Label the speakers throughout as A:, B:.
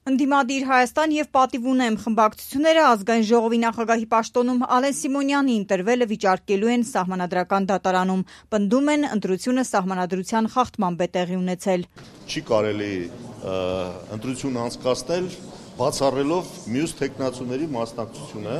A: Ընդդիմադիր Հայաստան և պատիվ ունեմ խմբակցությունները ազգային ժողովի նախագահի պաշտոնում Ալեն Սիմոնյանի ընտրվելը վիճարկելու են Սահմանադրական դատարանում, պնդում են ընտրությունը սահմանադրության խախտմամբ է տեղի ունեցել։
B: Չի կարելի ընտրություն անցկացնել բացառելով մյուս թեկնածուների մասնակցությունը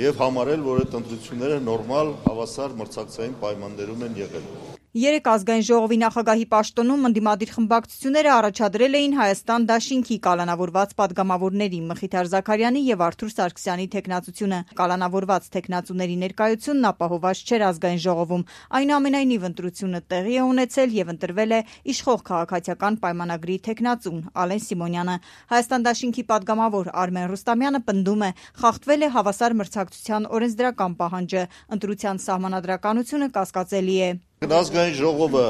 B: և համարել, որ այդ ընտրությունները նորմալ հավասար մրցակցային պայմաններում են եղել։
A: Երեկ ազգային ժողովի նախագահի պաշտոնում ընդդիմադիր խմբակցությունները առաջադրել էին Հայաստան դաշինքի կալանավորված падգամավորների Մխիթար Զաքարյանի և Արթուր Սարգսյանի թեկնածությունը։ Կալանավորված թեկնածուների ներկայությունն ապահովված չէր ազգային ժողովում։ Այնուամենայնիվ ընտրությունը տեղի է ունեցել և ընտրվել է իշխող քաղաքացիական պայմանագրի թեկնածուն Ալեն Սիմոնյանը։ Հայաստան դաշինքի падգամավոր Արմեն Ռուստամյանը պնդում է, խախտվել է հավասար մրցակցության օրենսդրական պահանջը, ընտրության սահմանադրականությունը կասկածելի է։
B: Ազգային ժողովը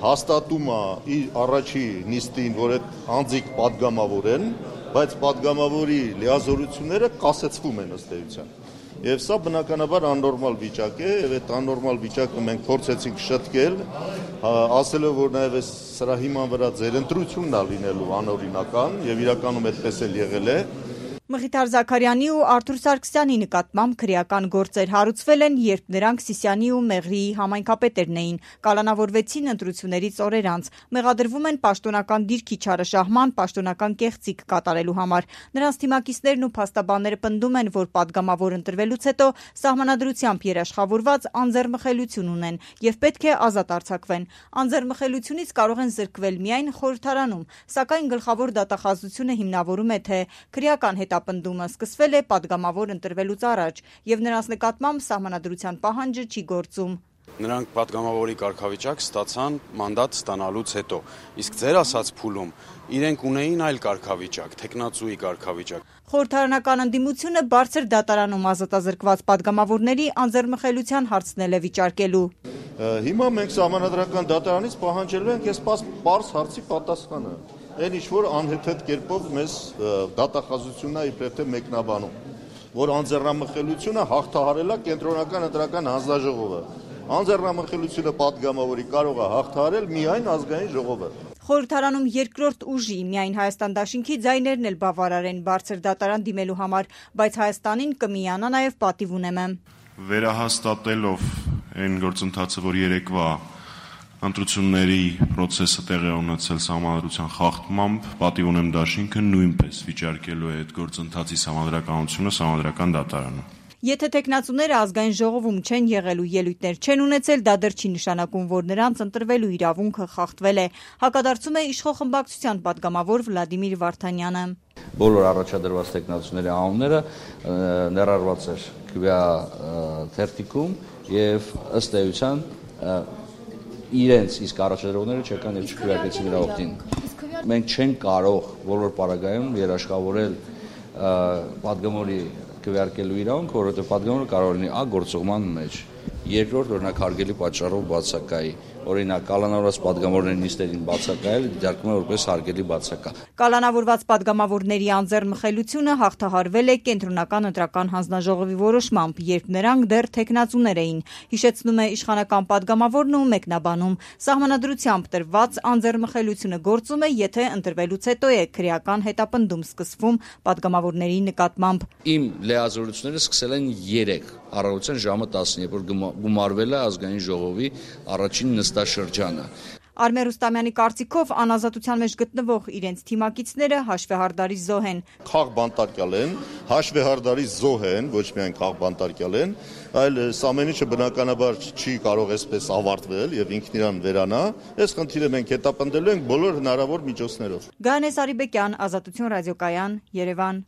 B: հաստատում է իր առաջի նիստին, որ այդ անձիկ падգամավոր են, բայց падգամավորի լիազորությունները կասեցվում են ըստ էության։ Եվ սա բնականաբար աննորմալ վիճակ է, եւ այդ աննորմալ վիճակը մենք փորձեցինք շտկել, ասելով, որ նաեւ սրա հիման վրա ձեր ընտրությունն է լինելու անօրինական, եւ իրականում այդպես էլ եղել է։
A: Մխիթար Զաքարյանի ու Արթուր Սարգսյանի նկատմամբ քրեական գործեր հարուցվել են, երբ նրանք Սիսիանի ու Մեղրիի համայնքապետերն էին, կալանավորվեցին ընտրություններից օրեր անց, մեղադրվում են պաշտոնական դիրքի չարաշահման, պաշտոնական կեղծիք կատարելու համար։ Նրանց թիմակիցներն ու փաստաբանները պնդում են, որ падգամավոր ընտրվելուց հետո սահմանադրությամբ երաշխավորված անձեռմխելիություն ունեն և պետք է ազատ արձակվեն։ Անձեռմխելիությունից կարող են զրկվել միայն խորհրդարանում, սակայն գլխավոր դատախազությունը հիմնավորում է, թե քրեական հետապնդումը սկսվել է падգամավոր ընտրվելուց առաջ և նրանց նկատմամբ սահմանադրության պահանջը չի գործում։
C: Նրանք падգամավորի կարգավիճակ ստացան մանդատ ստանալուց հետո, իսկ ձեր ասած փուլում իրենք ունեին այլ կարգավիճակ, թեկնածուի կարգավիճակ։
A: Խորհրդարանական ընդդիմությունը բարձր դատարանում ազատազրկված падգամավորների անձեռմխելիության հարցնել է վիճարկելու։
B: Հիմա մենք սահմանադրական դատարանից պահանջելու ենք այս պարզ հարցի պատասխանը։ Այն ինչ-որ անհեթեթ կերպով մեզ դատախազությունն է իբրև թե մեկնաբանում, որ անձեռնամխելիությունը հաղթահարել է կենտրոնական ընտրական հանձնաժողովը։ Անձեռնամխելիությունը падգամավորի կարող է հաղթահարել միայն ազգային ժողովը։
A: Խորհրդարանում երկրորդ ուժի միայն Հայաստան դաշինքի ձայներն էլ բավարար են բարձր դատարան դիմելու համար, բայց Հայաստանին կմիանա նաև պատիվ ունեմը։
D: Վերահաստատելով այն գործընթացը, որ երեկվա ընտրությունների պրոցեսը տեղի ունեցել սահմանադրության խախտմամբ, պատիվ ունեմ դաշինքը նույնպես վիճարկելու է այդ գործընթացի սահմանադրականությունը սահմանադրական դատարանում։
A: Եթե թեկնածուները ազգային ժողովում չեն եղել ու ելույթներ չեն ունեցել, դա դեռ չի նշանակում, որ նրանց ընտրվելու իրավունքը խախտվել է, հակադարձում է իշխող խմբակցության падգամավոր Վլադիմիր Վարդանյանը։
E: Բոլոր առաջադրված թեկնածուների անունները ներառված էր քվեա թերթիկում եւ ըստ էության իրենց իսկ առաջադրողները չեկան եւ չքվեարկեցին նրա օգտին։ Մենք չենք կարող բոլոր պարագայում երաշխավորել падգամորի քվեարկելու իրավունքը, որովհետեւ падգամորը կարող լինի գործողման մեջ, երկրորդ օրինակ հարգելի պատճառով բացակայի, օրինակ կալանավորված падգամորների նիստերին բացակայել դիտարկվում է որպես հարգելի բացակա։
A: Կալանավորված падգամավորների անձեռմխելիությունը հաղթահարվել է կենտրոնական ընտրական հանձնաժողովի որոշմամբ, երբ նրանք դեռ թեկնածուներ էին, հիշեցնում է իշխանական падգամավորն ու մեկնաբանում։ Սահմանադրությամբ տրված անձեռմխելիությունը գործում է, եթե ընտրվելուց հետո է քրեական հետապնդում սկսվում падգամավորների նկատմամբ։
E: Իմ լիազորությունները սկսել են 3 առավոտյան ժամը 10-ին, երբ որ գումարվել է ազգային ժողովի առաջին նստաշրջանը։
A: Արմեն Ռուստամյանի կարծիքով անազատության մեջ գտնվող իրենց թիմակիցները հաշվեհարդարի զոհ են։
B: Քաղբանտարկյալ են, հաշվեհարդարի զոհ են, ոչ միայն քաղբանտարկյալ են, այլ ամեն ինչը բնականաբար չի կարող այսպես ավարտվել եւ ինքն իրան վերանա։ Այս խնդիրը մենք հետապնդելու ենք բոլոր հնարավոր միջոցներով։
A: Գայանե Սարիբեկյան, Ազատություն ռադիոկայան, Երևան։